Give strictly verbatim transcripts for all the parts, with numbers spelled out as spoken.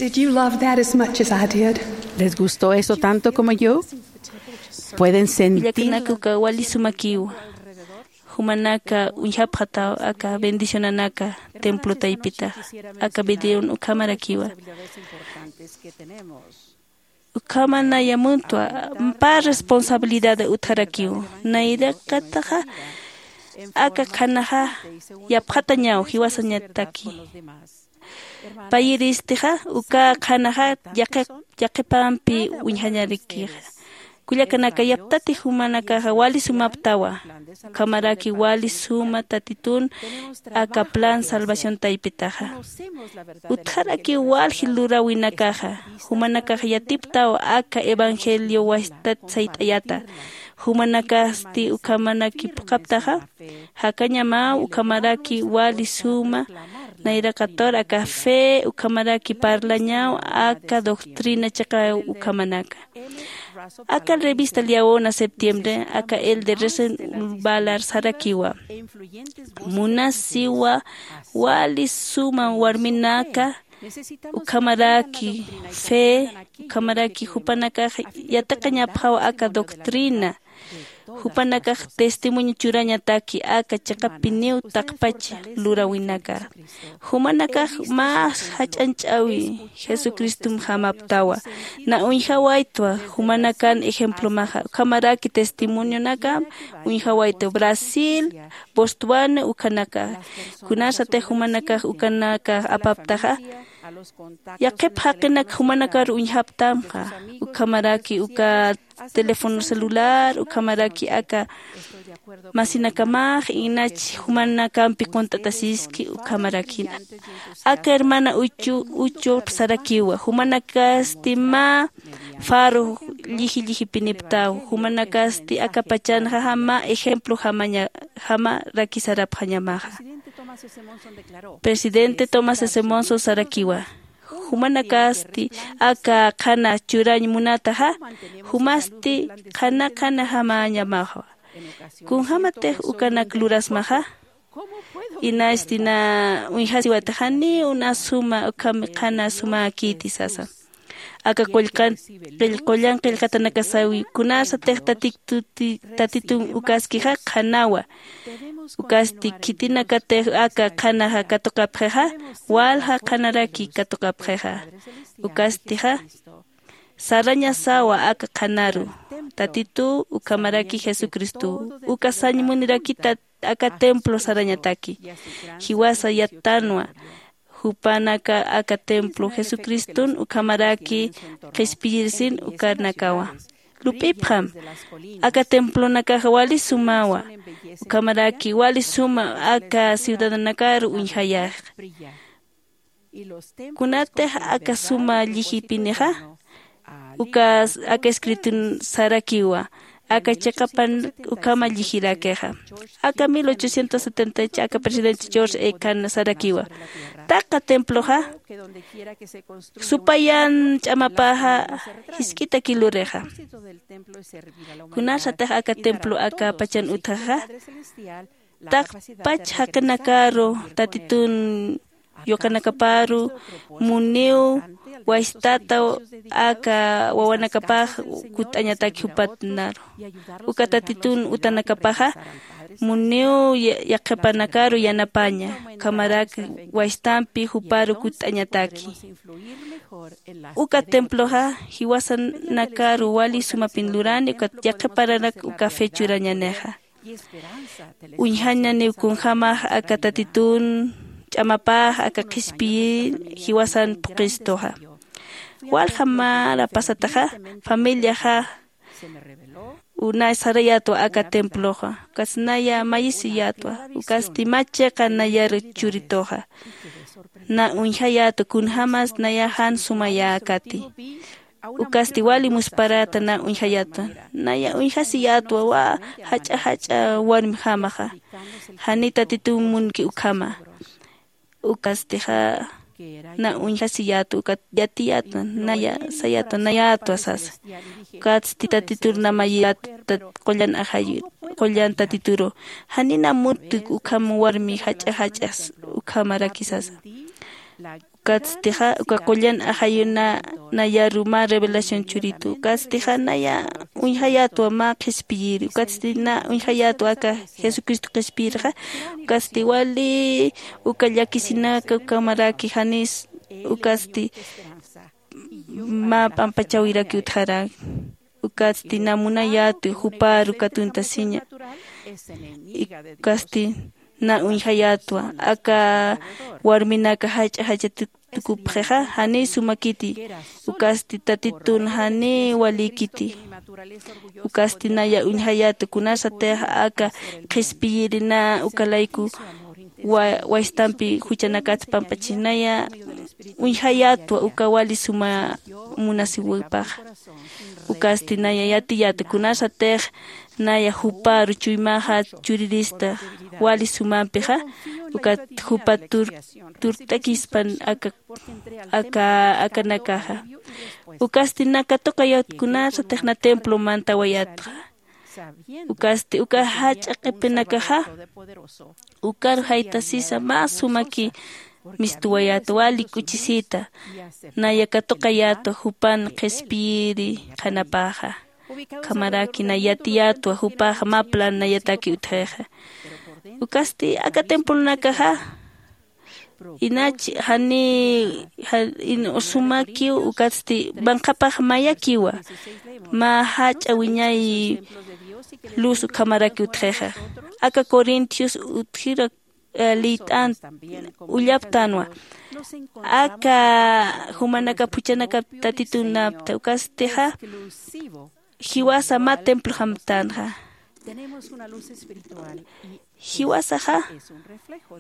Did you love that as much as I did? ¿Les gustó eso tanto como yo? Pueden sentir. Kullakanaka, uka wali sumakiwa. Jumanaka uñjapxataw aka bendicionanaka templo taypitaxa. Aka videon ukhamarakiwa. Ukhama naya muntwa, pä responsabilidad utjarakiw. Nayraqataxa aka qhanaxa yapxatañaw jiwasañataki. Payiristixa uka qhanaxa yaqi-, yaqhipampi uñjañarakixa. Kullakanaka, yaptati jumanakaxa wali sumaptawa. Ukhamaraki wali suma Tatitun aka plan salvación taypitaxa. Utjaraki walji luräwinakaxa. Jumanakax yatiptaw aka evangelio wastat sayt'ayata. Jumanakasti ukhamaraki phuqhaptaxa, jakañamaw ukhamaraki wali suma, nayraqatur aka fe ukhamaraki parlañaw aka doctrina chiqa ukhamanaka. Aka revista Liaona septiembre, aka Elder Russell Ballard sarakiwa. Munasiwa wali suma warminaka, ukhamaraki fe, ukhamaraki jupanakax yatiqañapxaw aka doctrina. Jupanakax testimonio churañataki aka chiqapiniw taqpach luräwinaka. Jumanakax mä jach'añch'äwi Jesucristomjamaptawa. Na uñjawaytwa jumanakan ejemplomaxa. Ukhamaraki testimonionakam uñjawaytwa Brasil, Botswana ukhanaka. Kunasatix jumanakax ukanakax apaptaxa, yaqhip jaqinak jumanakar uñjaptamxa. Ukhamaraki uka teléfono celular, ukhamaraki aka masinakamax, inach jumanakampi qunt'atasiski, ukhamaraki. Aka hermana Uchu, Uchu sarakiwa, jumanakasti mä faro lliji llijipiniptaw, jumanakasti aka pachanxa mä ejemplo jamaña, jamaraki sarapxañamaxa. Presidente Thomas S. Monson sarakiwa, jumanakasti aka qhana churañ munataxa, jumasti qhana qhana jamañamaxa. Kunjamatix ukanak lurasmaxa, inasti na uñjasiwatixa, ni una suma ukham qhana sumäkiti sasa. Aka qullqan-, qill-, qullan qillqatanakasawi, kunasatix Tatituti-, Tatitun ukaskixa qhanawa. Ukasti khitinakatix aka qhanaxa katuqapxixa, walja qhanaraki katuqapxixa. Ukastixa sarañasawa aka qhanaru. Tatitu ukhamaraki Jesucristo. Uka sañ munirakita aka templo sarañataki. Jiwasa yattanwa. Jupanaka aka templo Jesucriston ukhamaraki qhispiyirsin ukanakawa. Lup'ipxam, aka templonakaxa wali sumawa. Ukhamaraki wali suma aka ciudadanakaru uñjayax. Kunatix aka suma llijipinixa, uka, aka escritun sarakiwa, aka chiqapan ukhama llijirakixa. Aka mil ochocientos setenta aka presidente George E. Cannon sarakiwa, taqa temploxa supayan ch'amapaxa jisk'ita kilurixa. Kunasatix aka templo aka pachan utjaxa, taqpach jaqinakaru Tatitun yuqanakaparu muniw wastata aka wawanakapax kutt'añataki jupatnaru. Uka Tatitun utanakapaxa muniw ya-, yaqhipanakaru yanapaña, ukhamaraki wastampi juparu kutt'añataki. Uka temploxa jiwasanakaru wali sumapin lurani, uka yaqhiparanak uka fe churañanixa. Uñjañaniw kunjamax aka Tatitun ch'amapax aka qhispiyir jiwasan phuqhistuxa. Walja mara pasataxa, familiaxa una sarayätwa aka temploxa, ukas naya mayisiyätwa, ukasti mä chiqa nayar churituxa. Na uñjayätwa kunjämas naya jan sumayäkati. Ukasti wali musparäta na uñjayätwa. Naya uñjasiyätwa wä jach'a jach'a warmjamaxa, jani Tatitun munki ukhama. Ukastixa na uñjasiyätwa, ukat yatiyätwa, naya sayätwa, nayätwa sasa. Ukatsti Tatitur namayätwa, tat-, qullan ajayir, qullan Tatituru. Janina muntk ukham warmi jach'a jach'as ukhamaraki sasa. Ukatstixa uka qullan ajayuna nayaru mä revelación churitu. Ukatstixa naya uñjayätwa mä qhispiyiri. Ukatsti na uñjayätwa aka Jesucristo qhispiyirixa. Ukatsti wali uka llakisinaka ukamaraki janis ukatsti mä p'ampachawiraki utjarak. Ukatsti na munayätwi juparu katuntasiña. Ukatsti na uñjayätwa aka warminaka jach'a jach'a tukupxixa janiy sumakiti. Ukatsti tatitun janiy walïkiti. Ukatsti naya uñjayätwa kunasatix aka qhispiyiri na uka layku wa- waystampi juchanakats pampachis naya uñjayätwa uka wali suma munasiwipaxa. Ukatsti naya yatiyätwa kunasatix naya juparu chuymaxa churirista wali sumampixa. Ukat jupa tur- turt'akispan aka aka akanakaxa. Ukatsti na katuqayät kunasatix na templo mantawayätxa. Ukatsti uka jach'a q'ipinakaxa ukaru jaytasisa mä sumaki mistuwayäta wali k'uchisita. Naya katuqayätwa jupan qhispiyiri qhanapaxa. Ukhamaraki na yatiyätwa jupaxa mä plan nayataki utjixa. Ukatsti aka templonakaxa inach jani ja- in- sumakiw ukatsti manqhapax mayakiwa. Mä jach'a wiñay luz ukhamaraki utjixa. Aka corintios utjira eh, liyt'an ullaptanwa. Aka jumanaka phuchanaka tatitunapta ukastixa jiwasa mä templojamtanxa. Jiwasaxa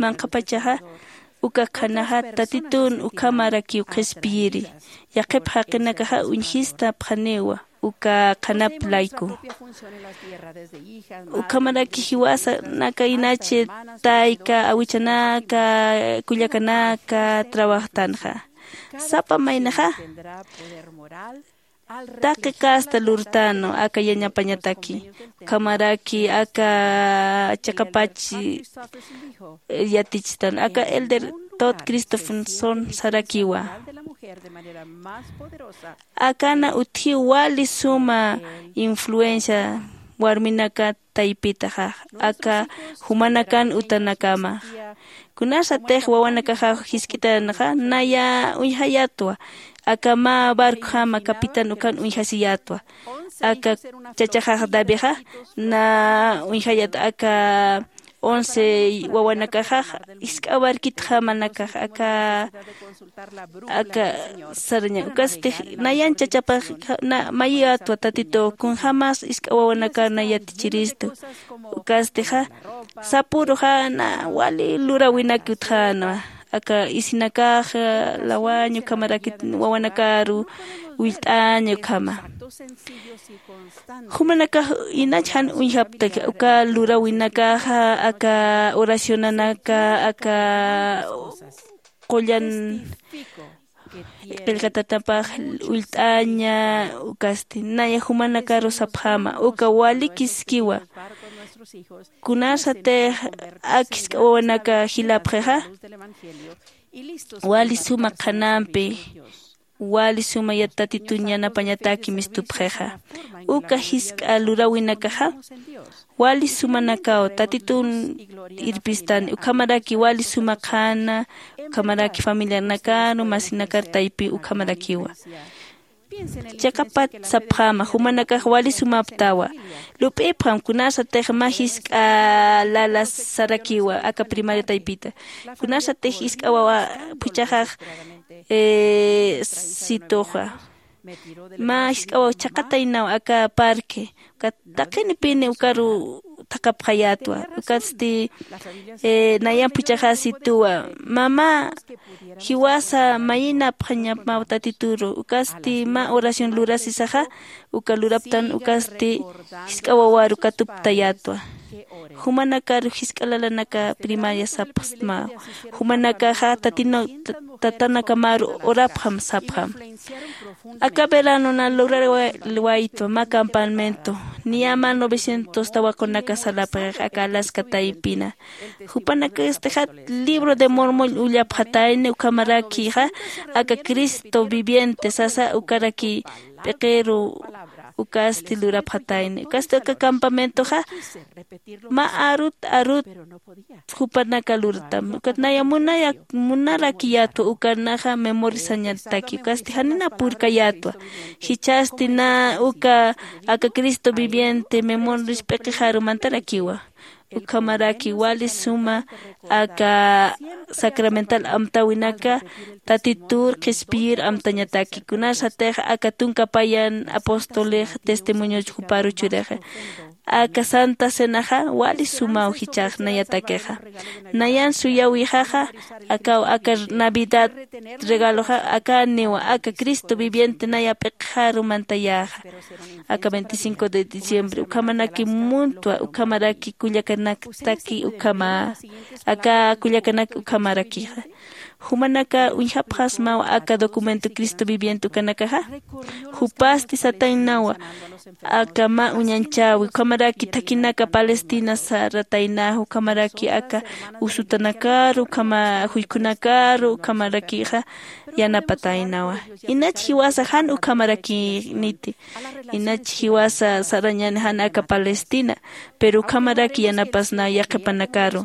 manqhapachaxa uka qhanaxa tatitun ukhamarakiw qhispiyiri. Yaqhip jaqinakaxa uñjistapxaniwa uka qhanap layku. Ukhamaraki jiwasanaka inachi tayka awichanaka kullakanaka trabajtanxa. Sapa maynaxa taqi casta lurtanu aka yañapañataki. Ukhamaraki aka chiqapach yatichtan aka elder tod cristophenson sarakiwa. Akana utjiw wali suma influencia warminaka taypitaxa aka jumanakan utanakama. Kunasatix wawanakaxa jisk'itanxa naya uñjayatwa aka mä barcojama capitán ukan uñjasiyatwa. Aka chachaxax davixa na uñjayat aka once wawanakaxax jisk'a barquitjamanakax aka aka saraña ukasti nayan chachapax mayiyatwa tatituw kunjämas jisk'a wawanakar nayatichiristu. Ukastixa sapuruxa na wali luräwinaki utjänwa aka isinakax lawañ ukhamarakit wawanakaru willt'añ ukhama. Jumanakax inach jan uñjaptaki uka luräwinakaxa aka oracionanaka aka qullan qillqatatapaq ullt'aña. Ukasti naya jumanakaru sapxäma uka walikiskiwa. Kunasatix ak jisk'a wawanaka jilapxixa wali suma qhanampi wali suma yat tatitun yanapañataki mistupxixa uka jisk'a luräwinakaxa wali sumanakaw tatitun irpistani ukhamaraki wali suma qhana ukhamaraki familianakaru masinakar taypi ukhamarakiwa. Chiqapat sapxäma jumanakax wali sumaptawa. Lup'ipxam kunasatix mä jisk'a lala sarakiwa aka primaria taypita kunasatix jisk'a wawa phuchhaxax situxa mä jisk'a wawa chhaqataynaw aka parque ukat taqinipini ukaru thaqhapxayätwa. Ukatsti nayan phuchhaxäsituwa mamá jiwasa mayinapxañamaw tatituru ukasti mä oración lurasisaxa uka luraptan ukasti jisk'a wawaru katuptayätwa. Jumanakaru jisk'a lalanaka primaria sapxsmaw jumanakaxa tatanakamaru orapxam sapxam. Aka veranona lurarwaytwa mä campamento Niya mä novecientos tawaqunaka salapxix aka alaska taypina. Jupanakastixat libro de mormon ullapxatayni ukhamarakixa aka cristo viviente sasa ukaraki p'iqiru ukasti lurapxatayni ukasti aka campamentoxa mä arut arut jupanaka lurtam ukat naya munaya munarakiyatwa ukanaxa memorisañataki ukasti janina purkayatwa. Jichhasti na uka aka cristo viviente memoris p'iqixaru mantarakiwa. Ukhamaraki wali suma aka sacramental amtäwinaka tatitur qhispiyir amtañataki kunasatix aka tunka payan apostolix testimonioch juparu churixa. Aka santa cenaxa wali sumaw jichhax nayatakixa. Nayan suyawixaxa akaw aka navidad regaloxa akaniwa aka cristo viviente naya p'iqixaru mantayäxa. Aka veinticinco de diciembre ukhamanaki muntwa ukhamaraki kullakanaktaki ukhama aka kullakanak ukhamarakixa. Jumanaka uñjapxasmaw aka documento cristo viviente ukanakaxa. Jupasti sataynawa aka mä uñanchäwi ukhamaraki thakhinaka palestina sarataynaxa ukhamaraki aka usutanakaru ukhama juykhunakaru ukhamarakixa yanapataynawa. Inach jiwasa jan ukhamarakïniti. Inach jiwasa sarañäni jan aka palestina pero ukhamaraki yanapasnaw yaqhipanakaru.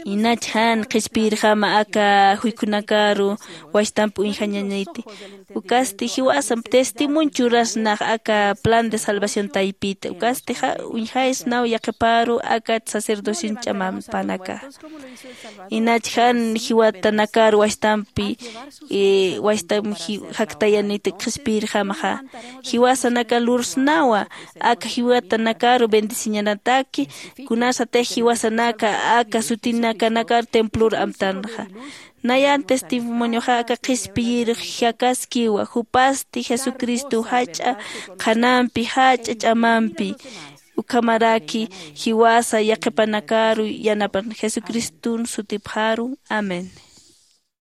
Inach jan qhispiyirjama aka juykhunakaru wachtamp uñjañaniti. Ukasti jiwasa testimonio churasnax aka plan de salvación taypita ukastixa uñjaysnaw yaqhiparu aka sacerdocion ch'amampanaka. Inach jan jiwatanakar wachtampi wachtam jaktayaniti qhispiyirjamaxa. Jiwasanaka lursnawa aka jiwatanakaru bendeciñanataki. Kunasatix jiwasanaka aka sutinakanakar templor amtanxa. Nayan testimonioxa aka qhispiyir jakaskiwa jupasti jesucristo jach'a qhanampi jach'a ch'amampi ukhamaraki jiwasa yaqhipanakaru yanapan jesucriston sutipxaru. Amén.